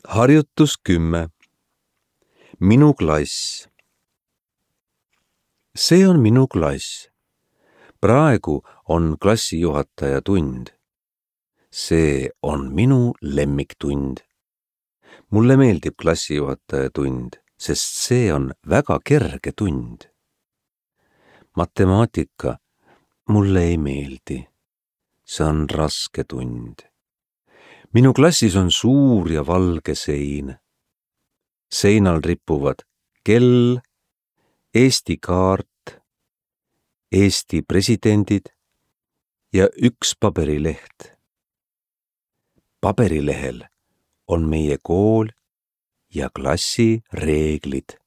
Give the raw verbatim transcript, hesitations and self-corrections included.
Harjutus kümme. Minu klass. See on minu klass. Praegu on klassijuhataja tund. See on minu lemmiktund. Mulle meeldib klassijuhataja tund, sest see on väga kerge tund. Matemaatika mulle ei meeldi. See on raske tund. Minu klassis on suur ja valge sein. Seinal ripuvad kell, Eesti kaart, Eesti presidendid ja üks paberileht. Paberilehel on meie kool ja klassi reeglid.